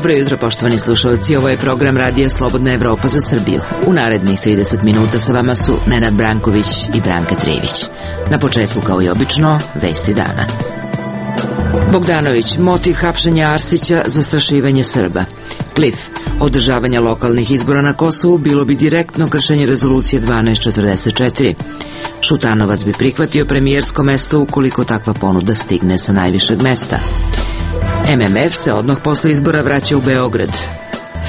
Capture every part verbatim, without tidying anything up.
Dobro jutro, poštovani slušalci, ovo je program Radija Slobodna Evropa za Srbiju. U narednih trideset minuta sa vama su Nenad Branković i Branka Trivić. Na početku, kao i obično, vesti dana. Bogdanović, motiv hapšenja Arsića, zastrašivanje Srba. Klif, održavanje lokalnih izbora na Kosovu bilo bi direktno kršenje rezolucije dvanaest četrdeset četiri. Šutanovac bi prihvatio premijersko mesto ukoliko takva ponuda stigne sa najvišeg mesta. M M F se odmah posle izbora vraća u Beograd.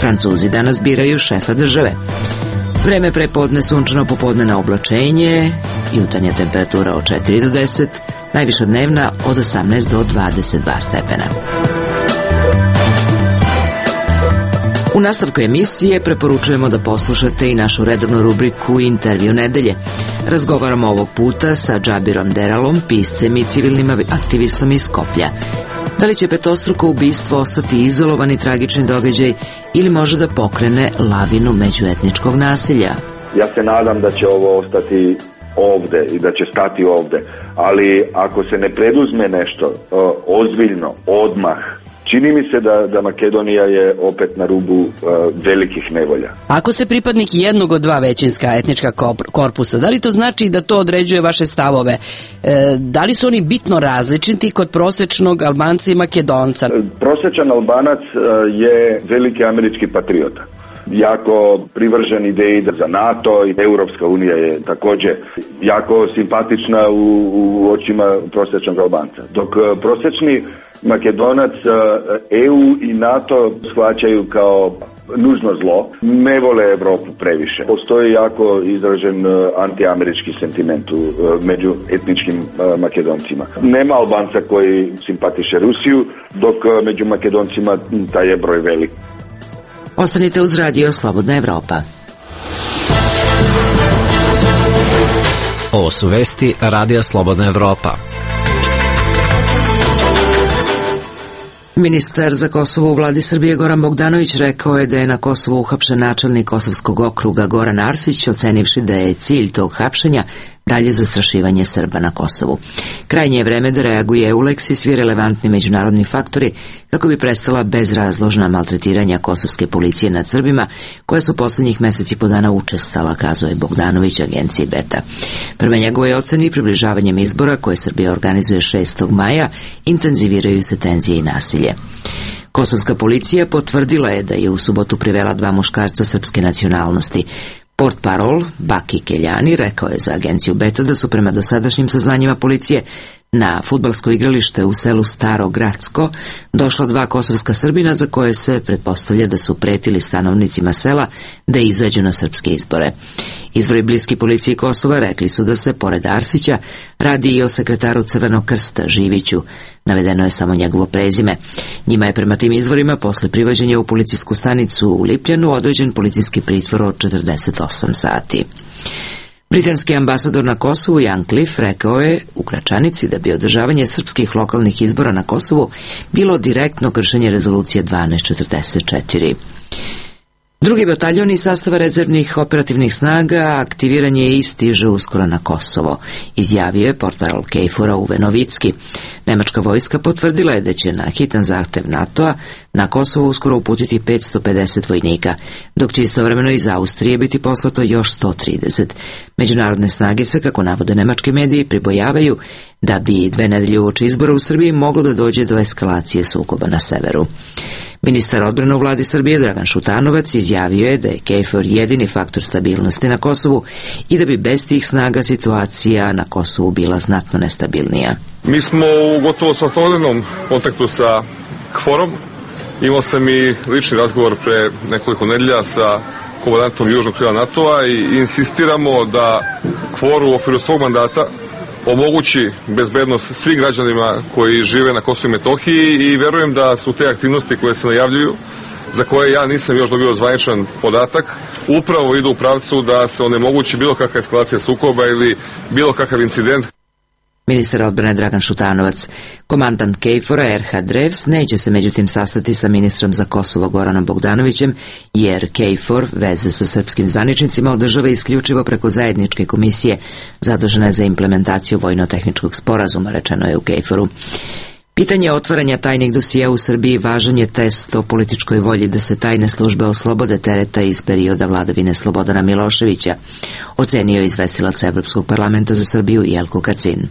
Francuzi danas biraju šefa države. Vreme prepodne sunčano, popodne na oblačenje, jutarnja temperatura od četiri do deset, najviša dnevna od osamnaest do dvadeset dva stepena. U nastavku emisije preporučujemo da poslušate i našu redovnu rubriku Intervju nedelje. Razgovaramo ovog puta sa Džabirom Deralom, piscem i civilnim aktivistom iz Skoplja. Da li će petostruko ubistvo ostati izolovani tragični događaj ili može da pokrene lavinu međuetničkog nasilja? Ja se nadam da će ovo ostati ovde i da će stati ovde, ali ako se ne preduzme nešto uh, ozbiljno, odmah, čini mi se da, da Makedonija je opet na rubu uh, velikih nevolja. Ako ste pripadnik jednog od dva većinska etnička korpusa, da li to znači da to određuje vaše stavove? E, da li su oni bitno različiti kod prosečnog Albanca i Makedonca? Prosečan Albanac uh, je veliki američki patriota. Jako privržen ideji za NATO i Europska unija je također jako simpatična u, u očima prosječnog Albanca. Dok prosječni Makedonac E U i NATO shvaćaju kao nužno zlo, ne vole Evropu previše. Postoji jako izražen antiamerički sentiment među etničkim Makedoncima. Nema Albanca koji simpatiše Rusiju, dok među Makedoncima taj je broj velik. Ostanite uz Radio Slobodna Evropa. Ovo su vesti Radija Slobodna Evropa. Ministar za Kosovo u vladi Srbije Goran Bogdanović rekao je da je na Kosovu uhapšen načelnik Kosovskog okruga Goran Arsić, ocenivši da je cilj tog hapšenja dalje zastrašivanje Srba na Kosovu. Krajnje je vreme da reaguje EULEX i svi relevantni međunarodni faktori kako bi prestala bezrazložna maltretiranja kosovske policije nad Srbima, koja su poslednjih meseci po dana učestala, kazao je Bogdanović agenciji Beta. Prema njegovoj oceni, približavanjem izbora koje Srbija organizuje šestog maja, intenziviraju se tenzije i nasilje. Kosovska policija potvrdila je da je u subotu privela dva muškarca srpske nacionalnosti. Portparol Baki Keljani rekao je za agenciju Beta da su prema dosadašnjim saznanjima policije na fudbalsko igralište u selu Staro Gradsko došla dva kosovska Srbina za koje se pretpostavlja da su pretili stanovnicima sela da izađu na srpske izbore. Izvori bliski policiji Kosova rekli su da se, pored Arsića, radi i o sekretaru Crvenog krsta Živiću. Navedeno je samo njegovo prezime. Njima je prema tim izvorima posle privođenja u policijsku stanicu u Lipljanu određen policijski pritvor od četrdeset osam sati. Britanski ambasador na Kosovu Jan Cliff rekao je u Gračanici da bi održavanje srpskih lokalnih izbora na Kosovu bilo direktno kršenje rezolucije dvanaest četrdeset četiri. Drugi bataljon iz sastava rezervnih operativnih snaga aktiviran je i stiže uskoro na Kosovo, izjavio je portparol Kejfora Uwe Novicki. Nemačka vojska potvrdila je da će na hitan zahtev NATO-a na Kosovo uskoro uputiti petsto pedeset vojnika, dok će istovremeno iz Austrije biti poslato još sto trideset. Međunarodne snage se, kako navode nemački mediji, pribojavaju da bi dve nedelje uoči izbora u Srbiji moglo da dođe do eskalacije sukoba na severu. Ministar odbrane u vladi Srbije Dragan Šutanovac izjavio je da je KFOR jedini faktor stabilnosti na Kosovu i da bi bez tih snaga situacija na Kosovu bila znatno nestabilnija. Mi smo u gotovo svakodnevnom kontaktu sa KFOR-om. Imao sam i lični razgovor pre nekoliko nedelja sa komandantom južnog krila NATO-a i insistiramo da KFOR u okviru svog mandata omogući bezbednost svim građanima koji žive na Kosovu i Metohiji i verujem da su te aktivnosti koje se najavljuju, za koje ja nisam još dobio zvaničan podatak, upravo idu u pravcu da se onemogući bilo kakva eskalacija sukoba ili bilo kakav incident. Ministar odbrane Dragan Šutanovac. Komandant KFOR-a Erhard Revs neće se međutim sastati sa ministrom za Kosovo Goranom Bogdanovićem, jer KFOR veze sa srpskim zvaničnicima održava isključivo preko zajedničke komisije zadužene za implementaciju vojno-tehničkog sporazuma, rečeno je u KFOR-u. Pitanje otvaranja tajnih dosija u Srbiji važan je test o političkoj volji da se tajne službe oslobode tereta iz perioda vladavine Slobodana Miloševića, ocenio je izvestilac Evropskog parlamenta za Srbiju Jelko Kacin.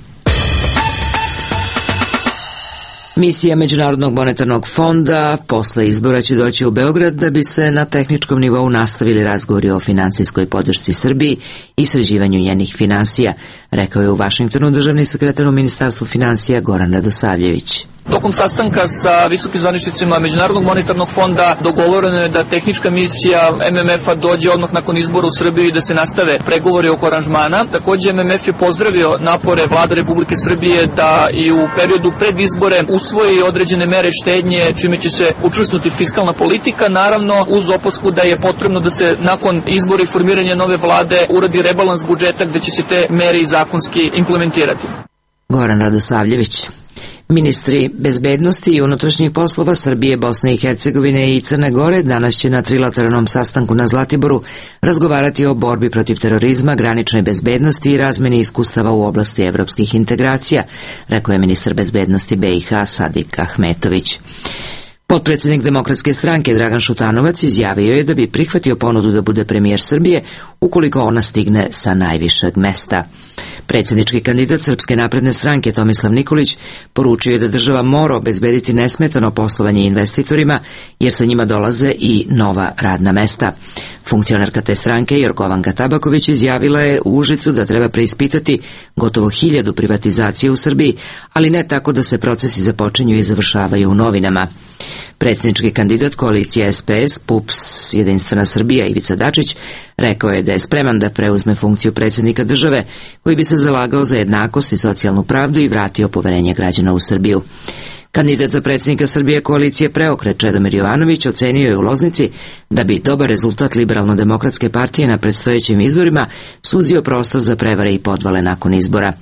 Misija Međunarodnog monetarnog fonda posle izbora će doći u Beograd da bi se na tehničkom nivou nastavili razgovori o finansijskoj podršci Srbiji i sređivanju njenih finansija, rekao je u Vašingtonu državni sekretar u Ministarstvu finansija Goran Radosavljević. Tokom sastanka sa visokim zvaničnicima Međunarodnog monetarnog fonda dogovoreno je da tehnička misija M M F-a dođe odmah nakon izbora u Srbiji i da se nastave pregovori oko aranžmana. Takođe M M F je pozdravio napore Vlade Republike Srbije da i u periodu pred izbore usvoji određene mere štednje, čime će se učvrstnuti fiskalna politika, naravno uz opasku da je potrebno da se nakon izbora i formiranja nove vlade uradi rebalans budžeta gde će se te mere i zakonski implementirati. Goran Radosavljević. Ministri bezbednosti i unutrašnjih poslova Srbije, Bosne i Hercegovine i Crne Gore danas će na trilateralnom sastanku na Zlatiboru razgovarati o borbi protiv terorizma, graničnoj bezbednosti i razmeni iskustava u oblasti evropskih integracija, rekao je ministar bezbednosti B i H Sadik Ahmetović. Potpredsednik Demokratske stranke Dragan Šutanovac izjavio je da bi prihvatio ponudu da bude premijer Srbije ukoliko ona stigne sa najvišeg mesta. Predsjednički kandidat Srpske napredne stranke Tomislav Nikolić poručio je da država mora obezbediti nesmetano poslovanje investitorima jer sa njima dolaze i nova radna mesta. Funkcionarka te stranke Jorgovanka Tabaković izjavila je u Užicu da treba preispitati gotovo hiljadu privatizacije u Srbiji, ali ne tako da se procesi započinju i završavaju u novinama. Predsjednički kandidat koalicije S P S, P U P S, Jedinstvena Srbija Ivica Dačić rekao je da je spreman da preuzme funkciju predsjednika države koji bi se zalagao za jednakost i socijalnu pravdu i vratio poverenje građana u Srbiju. Kandidat za predsjednika Srbije koalicije Preokret Čedomir Jovanović ocenio je u Loznici da bi dobar rezultat Liberalno-demokratske partije na predstojećim izborima suzio prostor za prevare i podvale nakon izbora.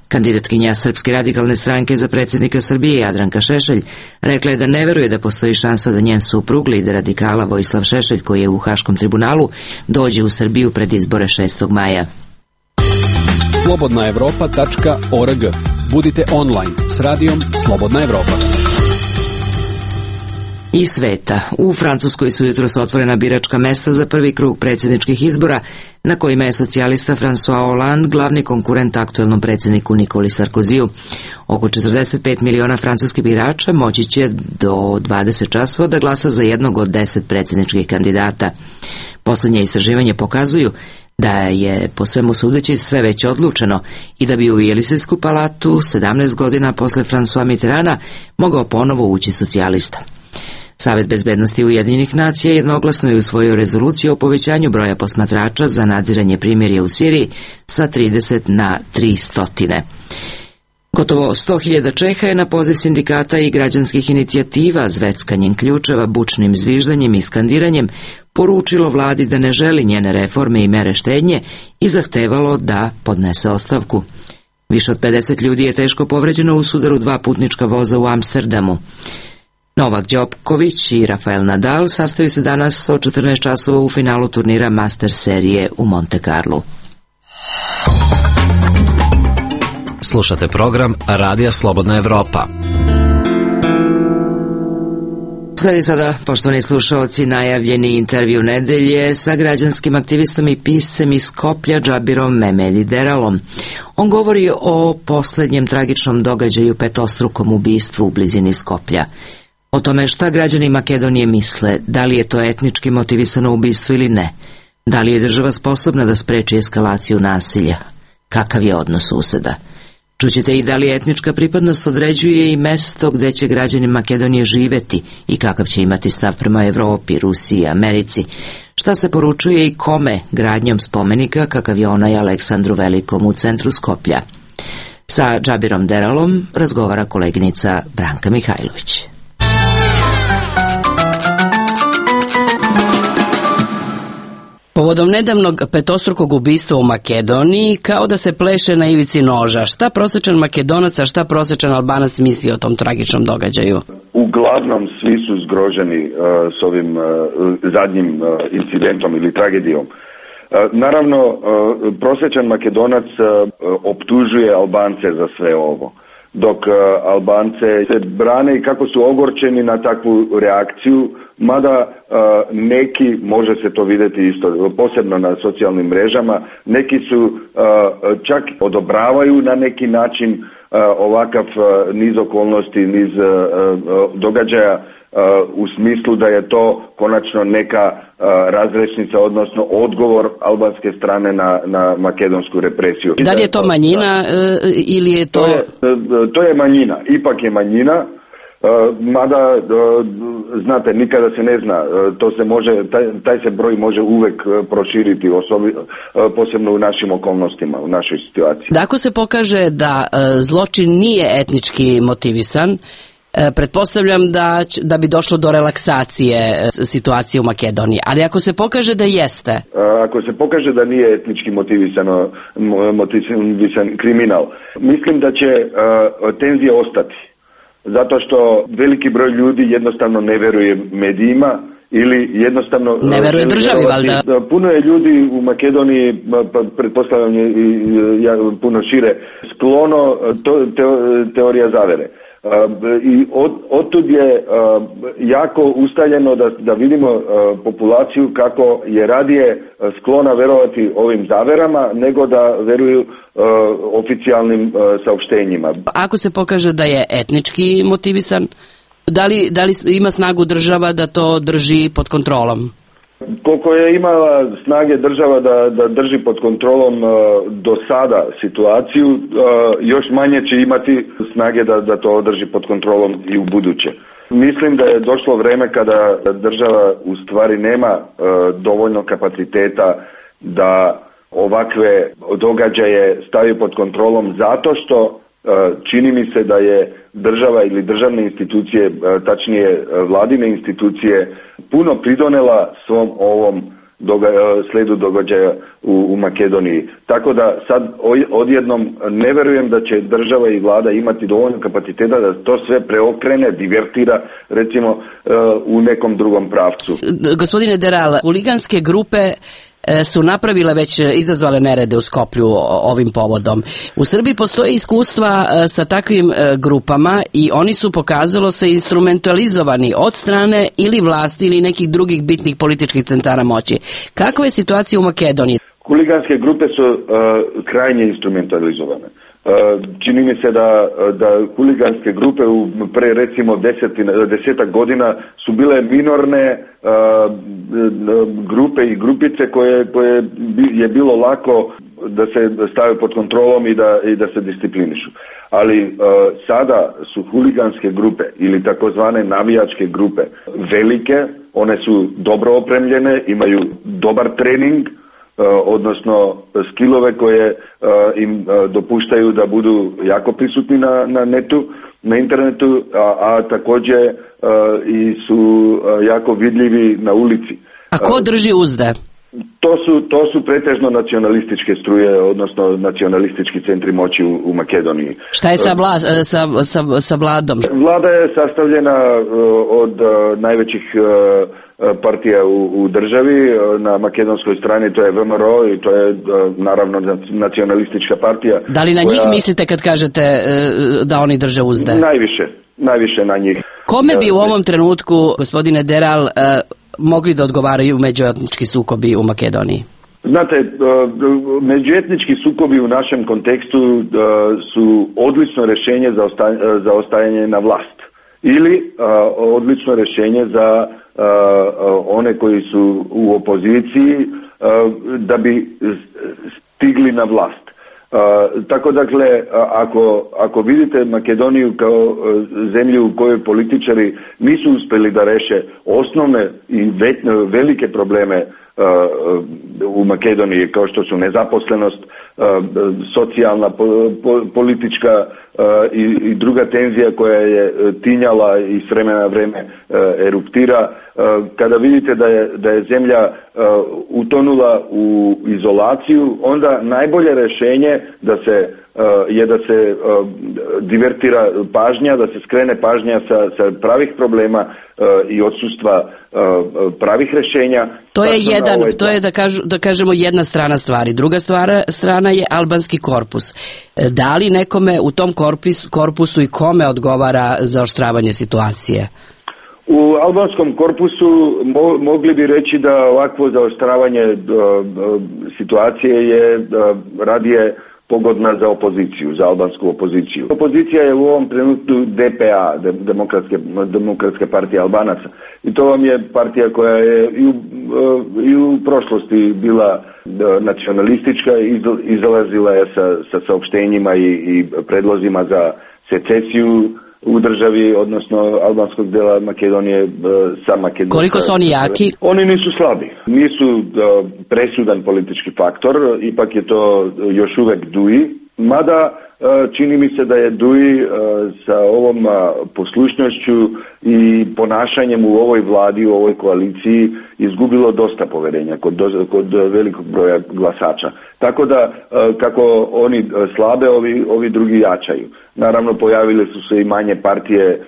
Kandidatkinja Srpske radikalne stranke za predsjednika Srbije Jadranka Šešelj rekla je da ne veruje da postoji šansa da njen suprug, lider radikala Vojislav Šešelj, koji je u Haškom tribunalu, dođe u Srbiju pred izbore šestog maja. slobodna evropa tačka org. Budite online s radijom Slobodna Evropa. I sveta. U Francuskoj su jutros otvorena biračka mesta za prvi krug predsjedničkih izbora, na kojima je socijalista François Hollande glavni konkurent aktuelnom predsjedniku Nikoli Sarkoziju. Oko četrdeset pet miliona francuskih birača moći će do dvadeset časova da glasa za jednog od deset predsjedničkih kandidata. Poslednje istraživanje pokazuju da je po svemu sudeći sve već odlučeno i da bi u Jelisejsku palatu sedamnaest godina posle François Mitterranda mogao ponovo ući socijalista. Savet bezbednosti Ujedinjenih nacija jednoglasno je usvojio rezoluciju o povećanju broja posmatrača za nadziranje primirja u Siriji sa trideset na tristo. Gotovo sto hiljada Čeha je na poziv sindikata i građanskih inicijativa zveckanjem ključeva, bučnim zviždanjem i skandiranjem poručilo vladi da ne želi njene reforme i mere štednje i zahtevalo da podnese ostavku. Više od pedeset ljudi je teško povređeno u sudaru dva putnička voza u Amsterdamu. Novak Đoković i Rafael Nadal sastaju se danas od četrnaest časova u finalu turnira Master serije u Monte Carlu. Slušate program Radija Slobodna Evropa. Sledi sada, poštovani slušaoci, najavljeni intervju nedelje sa građanskim aktivistom i piscem iz Skoplja Džabirom Memedi Deralom. On govori o poslednjem tragičnom događaju, petostrukom ubistvu u blizini Skoplja. O tome šta građani Makedonije misle, da li je to etnički motivisano ubistvo ili ne, da li je država sposobna da spreči eskalaciju nasilja, kakav je odnos suseda. Čućete i da li etnička pripadnost određuje i mesto gde će građani Makedonije živeti i kakav će imati stav prema Evropi, Rusiji, Americi. Šta se poručuje i kome gradnjom spomenika kakav je onaj Aleksandru Velikom u centru Skoplja. Sa Džabirom Deralom razgovara koleginica Branka Mihajlović. Povodom nedavnog petostrukog ubistva u Makedoniji, kao da se pleše na ivici noža. Šta prosječan Makedonac, a šta prosječan Albanac misli o tom tragičnom događaju? Uglavnom svi su zgroženi uh, s ovim uh, zadnjim uh, incidentom ili tragedijom. Uh, naravno, uh, prosječan Makedonac uh, optužuje Albance za sve ovo. dok Albance se brane i kako su ogorčeni na takvu reakciju, mada neki, može se to vidjeti isto, posebno na socijalnim mrežama, neki su čak odobravaju na neki način ovakav niz okolnosti, niz događaja, u smislu da je to konačno neka razrešnica, odnosno odgovor albanske strane na, na makedonsku represiju. Da li je to manjina ili je to... To je, to je manjina, ipak je manjina, mada, znate, nikada se ne zna, to se može, taj, taj se broj može uvek proširiti, osobi, posebno u našim okolnostima, u našoj situaciji. Da, ako se pokaže da zločin nije etnički motivisan, pretpostavljam da, da bi došlo do relaksacije situacije u Makedoniji, ali ako se pokaže da jeste? Ako se pokaže da nije etnički motivisano, motivisan kriminal, mislim da će uh, tenzije ostati, zato što veliki broj ljudi jednostavno ne veruje medijima ili jednostavno... Ne veruje državi, valjda? Puno je ljudi u Makedoniji, pa pretpostavljam je i ja, puno šire, sklono to, te, teorija zavere. Uh, i od, otud je uh, jako ustaljeno da, da vidimo uh, populaciju kako je radije sklona verovati ovim zaverama nego da veruju uh, oficijalnim uh, saopštenjima. Ako se pokaže da je etnički motivisan, da li, da li ima snagu država da to drži pod kontrolom? Koliko je imala snage država da, da drži pod kontrolom uh, do sada situaciju, uh, još manje će imati snage da, da to održi pod kontrolom i u buduće. Mislim da je došlo vreme kada država u stvari nema uh, dovoljno kapaciteta da ovakve događaje stavi pod kontrolom, zato što čini mi se da je država ili državne institucije, tačnije vladine institucije, puno pridonela svom ovom doga- sledu događaja u, u Makedoniji. Tako da sad odjednom ne verujem da će država i vlada imati dovoljno kapaciteta da to sve preokrene, divertira, recimo, u nekom drugom pravcu. Gospodine Deral, huliganske grupe su napravile već, izazvale nerede u Skoplju ovim povodom. U Srbiji postoje iskustva sa takvim grupama i oni su, pokazalo se, instrumentalizovani od strane ili vlasti ili nekih drugih bitnih političkih centara moći. Kakva je situacija u Makedoniji? Huliganske grupe su uh, krajnje instrumentalizovane. Uh, čini mi se da, da huliganske grupe u pre recimo desetina, desetak godina su bile minorne uh, grupe i grupice koje, koje je bilo lako da se stave pod kontrolom i da, i da se disciplinišu. Ali uh, sada su huliganske grupe ili takozvane navijačke grupe velike, one su dobro opremljene, imaju dobar trening, odnosno skillove koje uh, im uh, dopuštaju da budu jako prisutni na, na netu, na internetu, a, a također uh, i su uh, jako vidljivi na ulici. A ko drži uzde? To su, to su pretežno nacionalističke struje, odnosno nacionalistički centri moći u, u Makedoniji. Šta je sa, vla, sa, sa, sa vladom? Vlada je sastavljena uh, od uh, najvećih uh, partija u, u državi. Na makedonskoj strani to je V M R O i to je naravno nacionalistička partija. Da li na koja... njih mislite kad kažete da oni drže uzde? Najviše, najviše na njih. Kome bi u ovom trenutku, gospodine Deral, mogli da odgovaraju međuetnički sukobi u Makedoniji? Znate, međuetnički sukobi u našem kontekstu su odlično rješenje za, osta, za ostajanje na vlast. Ili odlično rješenje za Uh, uh, one koji su u opoziciji uh, da bi stigli na vlast. Uh, tako dakle, ako, ako vidite Makedoniju kao uh, zemlju u kojoj političari nisu uspjeli da reše osnovne i ve, velike probleme uh, u Makedoniji, kao što su nezaposlenost, uh, socijalna, po, po, politička uh, i, i druga tenzija koja je tinjala i s vremena na vreme uh, eruptira. Uh, kada vidite da je, da je zemlja uh, utonula u izolaciju, onda najbolje rješenje da se uh, je da se uh, divertira pažnja, da se skrene pažnja sa, sa pravih problema uh, i odsustva uh, pravih rješenja To je jedan, ovaj to je da, kažu, da kažemo jedna strana stvari. Druga stvara, strana je albanski korpus. Da li nekome u tom korpus, korpusu i kome odgovara zaoštravanje situacije? U albanskom korpusu mo, mogli bi reći da ovakvo zaoštravanje uh, uh, situacije je uh, radije pogodna za opoziciju, za albansku opoziciju. Opozicija je u ovom trenutku D P A, Demokratske, Demokratske partije Albanaca. I to vam je partija koja je i u, i u prošlosti bila nacionalistička i izlazila je sa, sa saopštenjima i, i predlozima za secesiju u državi, odnosno albanskog dela Makedonije sa Makedonijom. Koliko su oni jaki? Oni nisu slabi. Nisu presudan politički faktor, ipak je to još uvek D U I, mada čini mi se da je D U I sa ovom poslušnošću i ponašanjem u ovoj vladi, u ovoj koaliciji izgubilo dosta poverenja kod, kod velikog broja glasača. Tako da kako oni slabe, ovi, ovi drugi jačaju. Naravno pojavile su se i manje partije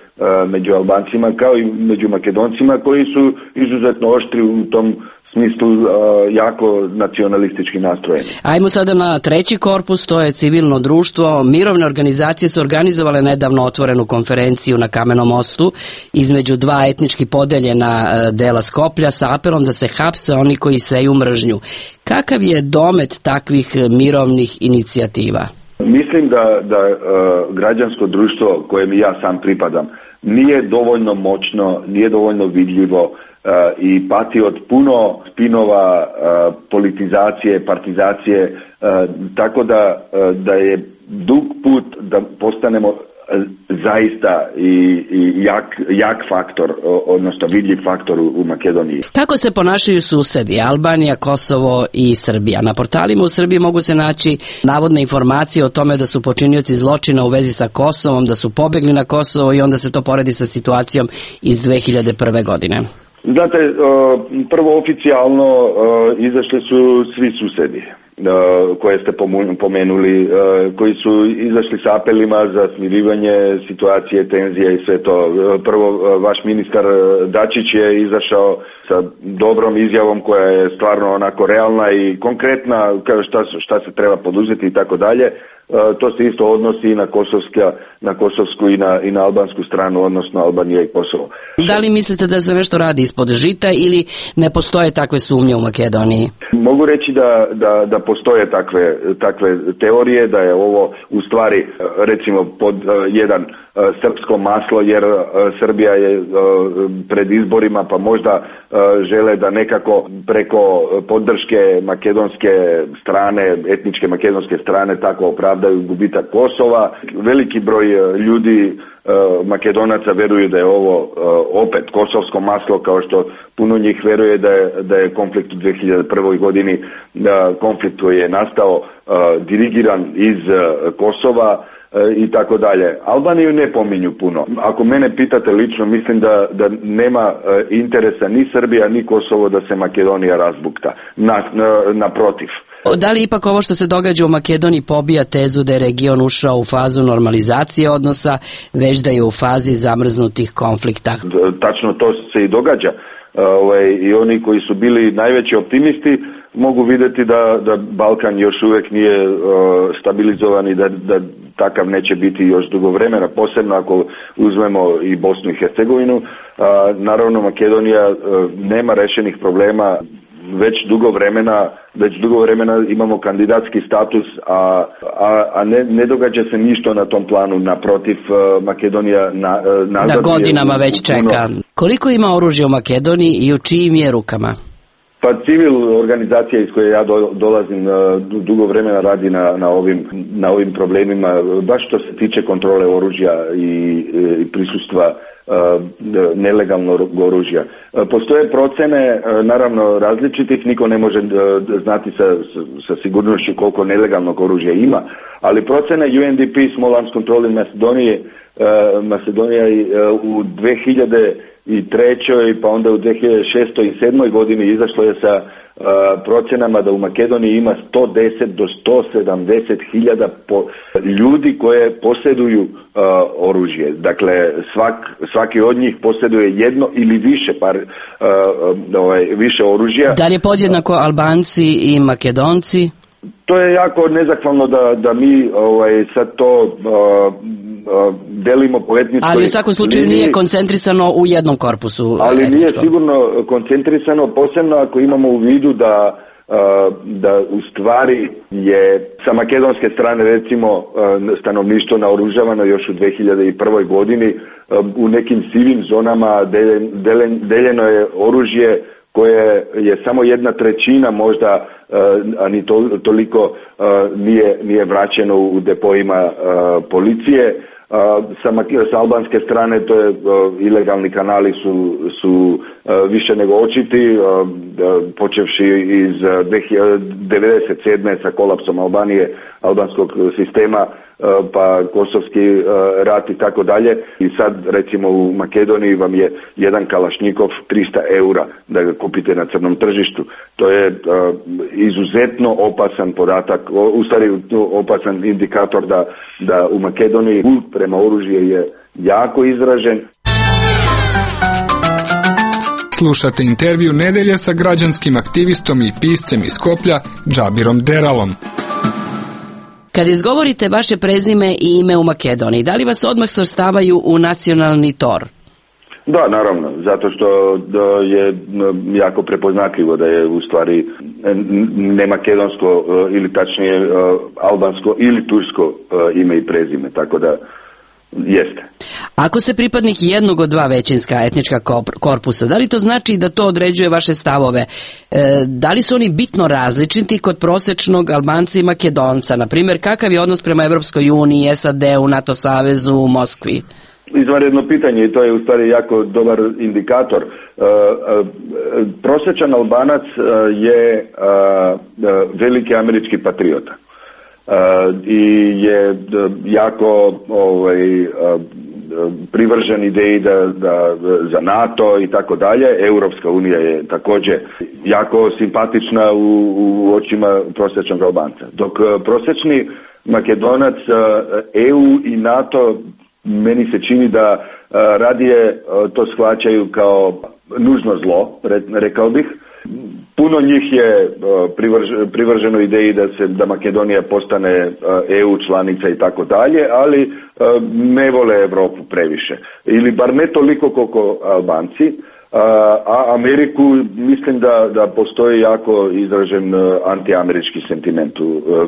među Albancima kao i među Makedoncima koji su izuzetno oštri u tom smislu uh, jako nacionalistički nastrojeni. Ajmo sada na treći korpus, to je civilno društvo. Mirovne organizacije su organizovale nedavno otvorenu konferenciju na Kamenom mostu između dva etnički podeljena uh, dela Skoplja sa apelom da se hapse oni koji seju mržnju. Kakav je domet takvih mirovnih inicijativa? Mislim da, da uh, građansko društvo kojem ja sam pripadam nije dovoljno moćno, nije dovoljno vidljivo Uh, i pati od puno spinova, uh, politizacije, partizacije, uh, tako da, uh, da je dug put da postanemo uh, zaista i, i jak, jak faktor, odnosno vidljiv faktor u, u Makedoniji. Kako se ponašaju susedi, Albanija, Kosovo i Srbija? Na portalima u Srbiji mogu se naći navodne informacije o tome da su počinioci zločina u vezi sa Kosovom, da su pobegli na Kosovo i onda se to poredi sa situacijom iz dve hiljade prve. godine. Znate, prvo oficijalno izašli su svi susedi koje ste pomenuli, koji su izašli s apelima za smirivanje situacije, tenzije i sve to. Prvo, vaš ministar Dačić je izašao sa dobrom izjavom koja je stvarno onako realna i konkretna, šta, šta se treba poduzeti i tako dalje. To se isto odnosi i na, kosovska, na kosovsku i na, i na albansku stranu, odnosno Albanija i Kosovo. Da li mislite da se nešto radi ispod žita ili ne postoje takve sumnje u Makedoniji? Mogu reći da, da, da postoje takve, takve teorije, da je ovo u stvari recimo pod jedan srpsko maslo, jer Srbija je pred izborima pa možda žele da nekako preko podrške makedonske strane, etničke makedonske strane tako opravdaju gubitak Kosova. Veliki broj ljudi Makedonaca veruju da je ovo opet kosovsko maslo, kao što puno njih veruje da je, da je konflikt u dve hiljade prvoj. godini, konflikt koji je nastao dirigiran iz Kosova i tako dalje. Albaniju ne pominju puno. Ako mene pitate lično, mislim da, da nema interesa ni Srbija ni Kosovo da se Makedonija razbukta. Na, na, naprotiv. Da li ipak ovo što se događa u Makedoniji pobija tezu da je region ušao u fazu normalizacije odnosa, već da je u fazi zamrznutih konflikta? Tačno to se i događa. Uh, i oni koji su bili najveći optimisti mogu vidjeti da, da Balkan još uvijek nije uh, stabilizovan i da, da takav neće biti još dugo vremena, posebno ako uzmemo i Bosnu i Hercegovinu. Uh, naravno Makedonija uh, nema rešenih problema već dugo vremena, već dugo vremena imamo kandidatski status, a, a, a ne, ne događa se ništa na tom planu, naprotiv Makedonija na, nazad. Da godinama već čeka. Koliko ima oružja u Makedoniji i u čijim je rukama? Pa civil organizacija iz koje ja do, dolazim dugo vremena radi na, na, ovim, na ovim problemima, baš što se tiče kontrole oružja i, i prisustva nelegalnog oružja. Postoje procene, naravno različitih, niko ne može znati sa, sa sigurnošću koliko nelegalnog oružja ima, ali procene U N D P, Small Arms Control in Macedonia, Makedonija u dve hiljade trećoj pa onda u dve hiljade šestoj i sedmoj godini izašlo je sa Uh, procjenama da u Makedoniji ima sto deset do sto sedamdeset hiljada po, ljudi koje posjeduju uh, oružje. Dakle, svak, svaki od njih posjeduje jedno ili više par, uh, ovaj, više oružja. Da li je podjednako Albanci i Makedonci? To je jako nezahvalno da, da mi ovaj, sad to uh, uh, delimo po etničkoj... Ali u svakom slučaju nije koncentrisano u jednom korpusu. Ali etničkom. Nije sigurno koncentrisano, posebno ako imamo u vidu da, uh, da u stvari je sa makedonske strane recimo uh, stanovništvo naoružavano još u dve hiljade prvoj godini. Uh, u nekim sivim zonama deljen, deljen, deljeno je oružje koje je samo jedna trećina možda, a ni to, toliko nije, nije vraćeno u depojima policije. Sa, sa albanske strane to je ilegalni kanali su, su više nego očiti, počevši iz devedeset sedme sa kolapsom Albanije, albanskog sistema, pa kosovski rat i tako dalje. I sad recimo u Makedoniji vam je jedan kalašnjikov trista eura da ga kupite na crnom tržištu. To je uh, izuzetno opasan podatak, u stvari opasan indikator da, da u Makedoniji kult prema oružju je jako izražen. Slušate intervju nedelje sa građanskim aktivistom i piscem iz Skoplja Džabirom Deralom. Kad izgovorite vaše prezime i ime u Makedoniji, da li vas odmah svrstavaju u nacionalni tor? Da, naravno, zato što je jako prepoznatljivo da je u stvari ne makedonsko ili tačnije albansko ili tursko ime i prezime, tako da jeste. Ako ste pripadnik jednog od dva većinska etnička korpusa, da li to znači da to određuje vaše stavove? E, da li su oni bitno različiti kod prosečnog Albanca i Makedonca? Naprimjer, kakav je odnos prema Evropskoj uniji, S A D-u, NATO savezu, Moskvi? Izvanredno pitanje i to je u stvari jako dobar indikator. E, e, prosječan Albanac je a, a, veliki američki patriota. Uh, i je jako ovaj, uh, privržen ideji da, da za NATO i tako dalje. Europska unija je također jako simpatična u, u očima prosječnog Albanca. Dok uh, prosječni Makedonac uh, E U i NATO meni se čini da uh, radije uh, to shvaćaju kao nužno zlo, re, rekao bih. Puno njih je privrž, privrženo ideji da se da Makedonija postane E U članica i tako dalje, ali ne vole Europu previše. Ili bar ne toliko koliko Albanci, a Ameriku mislim da, da postoji jako izražen antiamerički sentiment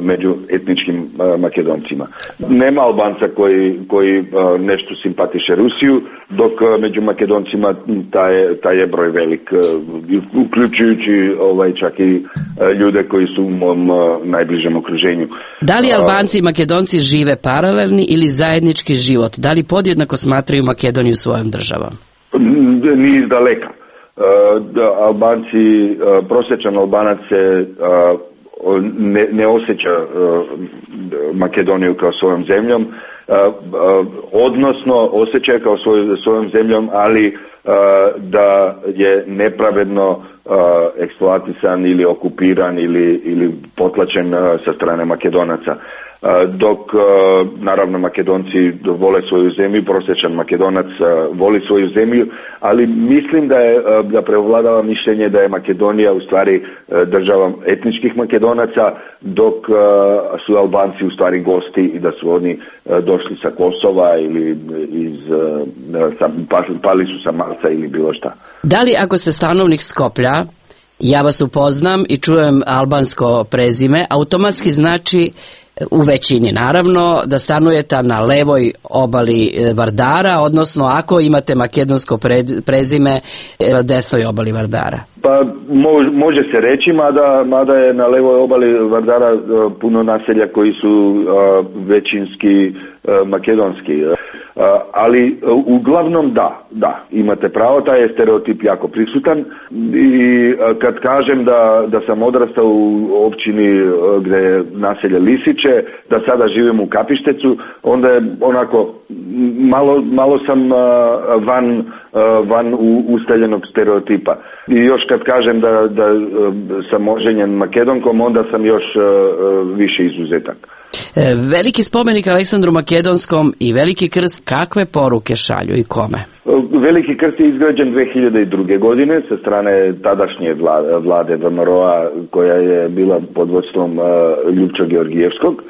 među etničkim Makedoncima. Nema Albanca koji, koji nešto simpatiše Rusiju, dok među Makedoncima taj, taj je broj velik, uključujući ovaj, čak i ljude koji su u mom najbližem okruženju. Da li Albanci i Makedonci žive paralelni ili zajednički život? Da li podjednako smatraju Makedoniju svojom državom? Ni iz daleka. Uh, Albanci, uh, prosječan Albanac se uh, ne, ne osjeća uh, Makedoniju kao svojom zemljom, uh, uh, odnosno osjeća je kao svoj, svojom zemljom, ali uh, da je nepravedno uh, eksploatisan ili okupiran ili, ili potlačen uh, sa strane Makedonaca. Dok naravno Makedonci vole svoju zemlju, prosječan Makedonac voli svoju zemlju, ali mislim da je da prevladava mišljenje da je Makedonija u stvari država etničkih Makedonaca, dok su Albanci u stvari gosti i da su oni došli sa Kosova ili iz pali su sa Marsa ili bilo šta. Da li ako ste stanovnik Skoplja, ja vas upoznam i čujem albansko prezime, automatski znači u većini naravno da stanujete na levoj obali Vardara, odnosno ako imate makedonsko prezime na desnoj obali Vardara? Pa može se reći, mada, mada je na levoj obali Vardara puno naselja koji su većinski makedonski. Ali uglavnom da, da, imate pravo, taj je stereotip jako prisutan i kad kažem da, da sam odrastao u općini gdje je naselje Lisiće, da sada živim u Kapištecu, onda je onako malo, malo sam van, van ustaljenog stereotipa. I još kad kažem da, da sam oženjen Makedonkom, onda sam još više izuzetak. Veliki spomenik Aleksandru Makedonskom i Veliki krst, kakve poruke šalju i kome? Veliki krst je izgrađen dve hiljade druge. godine sa strane tadašnje vlade, vlade V M R O-a koja je bila pod vodstvom Ljupča Georgijevskog.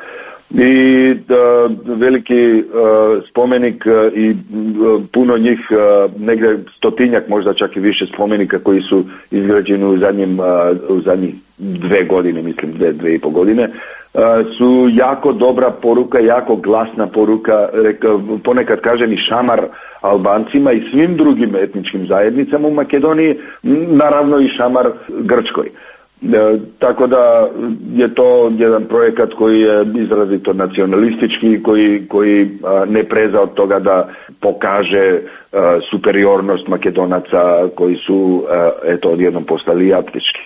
I da, veliki uh, spomenik uh, i uh, puno njih, uh, negdje stotinjak, možda čak i više spomenika koji su izgrađeni u zadnjim, uh, u zadnjih dve godine, mislim dve, dve i po godine, uh, su jako dobra poruka, jako glasna poruka, reka, ponekad kažem i šamar Albancima i svim drugim etničkim zajednicama u Makedoniji, naravno i šamar Grčkoj. E, tako da je to jedan projekat koji je izrazito nacionalistički, koji, koji a, ne preza od toga da pokaže a, superiornost Makedonaca koji su a, eto odjednom postali aptički.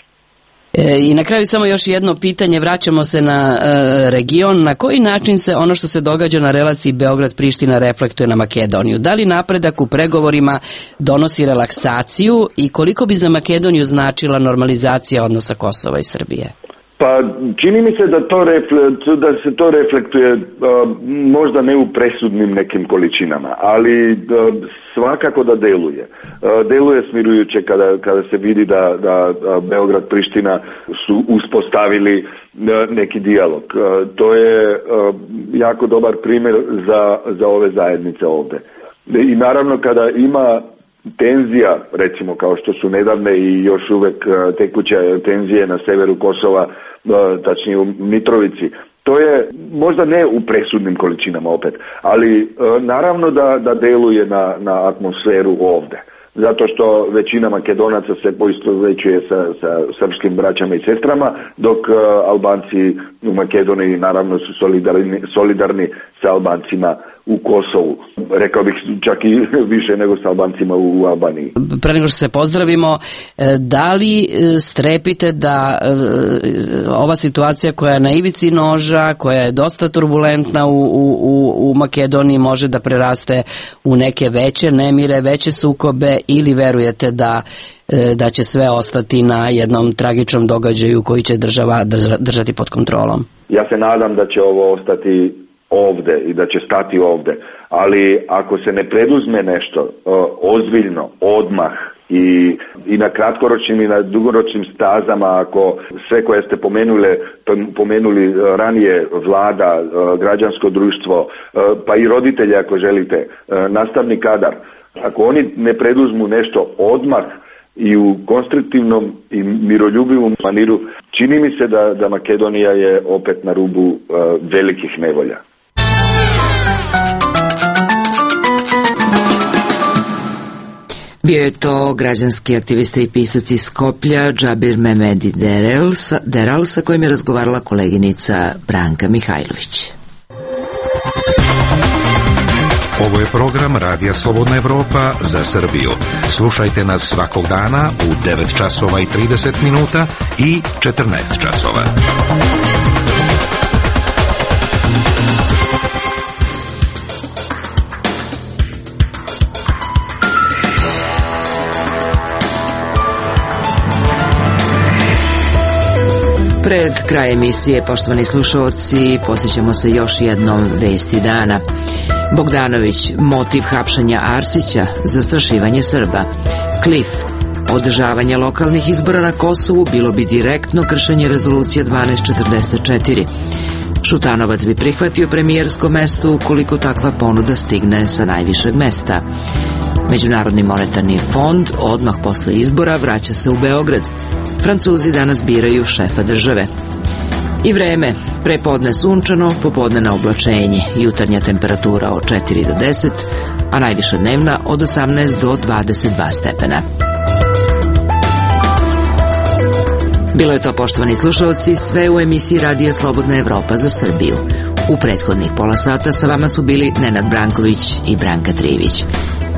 E, I na kraju samo još jedno pitanje, vraćamo se na e, region. Na koji način se ono što se događa na relaciji Beograd-Priština reflektuje na Makedoniju? Da li napredak u pregovorima donosi relaksaciju i koliko bi za Makedoniju značila normalizacija odnosa Kosova i Srbije? Pa čini mi se da, to refle, da se to reflektuje uh, možda ne u presudnim nekim količinama, ali uh, svakako da deluje. Uh, deluje smirujuće kada, kada se vidi da, da uh, Beograd-Priština su uspostavili uh, neki dijalog. Uh, to je uh, jako dobar primjer za, za ove zajednice ovdje. I naravno kada ima tenzija, recimo kao što su nedavne i još uvek uh, tekuće tenzije na severu Kosova, tačnije u Mitrovici. To je možda ne u presudnim količinama opet, ali naravno da, da deluje na, na atmosferu ovdje. Zato što većina Makedonaca se poistovjećuje sa, sa srpskim braćama i sestrama, dok uh, Albanci u Makedoniji naravno su solidarni, solidarni sa Albancima u Kosovu. Rekao bih čak i više nego sa Albancima u Albaniji. Pre nego što se pozdravimo, da li strepite da ova situacija koja je na ivici noža, koja je dosta turbulentna u, u, u Makedoniji, može da preraste u neke veće nemire, veće sukobe, ili verujete da da će sve ostati na jednom tragičnom događaju koji će država držati pod kontrolom? Ja se nadam da će ovo ostati ovdje i da će stati ovdje, ali ako se ne preduzme nešto uh, ozbiljno, odmah i, i na kratkoročnim i na dugoročnim stazama, ako sve koje ste pomenuli, pomenuli ranije, vlada, uh, građansko društvo, uh, pa i roditelji ako želite, uh, nastavni kadar, ako oni ne preduzmu nešto odmah i u konstruktivnom i miroljubivom maniru, čini mi se da, da Makedonija je opet na rubu uh, velikih nevolja. Bio je to građanski aktivista i pisac iz Skoplja Džabir Mehmedi Deral, Deral sa kojim je razgovarala koleginica Branka Mihajlović. Ovo je program Radija Slobodna Evropa za Srbiju. Slušajte nas svakog dana u devet časova i trideset minuta i četrnaest časova. Pred kraj emisije, poštovani slušalci, posjećamo se još jednom vesti dana. Bogdanović, motiv hapšenja Arsića, zastrašivanje Srba. Klif, održavanje lokalnih izbora na Kosovu bilo bi direktno kršenje rezolucije dvanaest četrdeset četiri. Šutanovac bi prihvatio premijersko mesto ukoliko takva ponuda stigne sa najvišeg mesta. Međunarodni monetarni fond odmah posle izbora vraća se u Beograd. Francuzi danas biraju šefa države. I vreme, prepodne sunčano, popodne na oblačenje, jutarnja temperatura od četiri do deset, a najviša dnevna od osamnaest do dvadeset dva stepena. Bilo je to, poštovani slušalci, sve u emisiji Radija Slobodna Evropa za Srbiju. U prethodnih pola sata sa vama su bili Nenad Branković i Branka Trivić.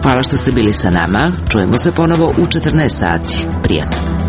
Hvala što ste bili sa nama. Čujemo se ponovo u četrnaest sati. Prijatno.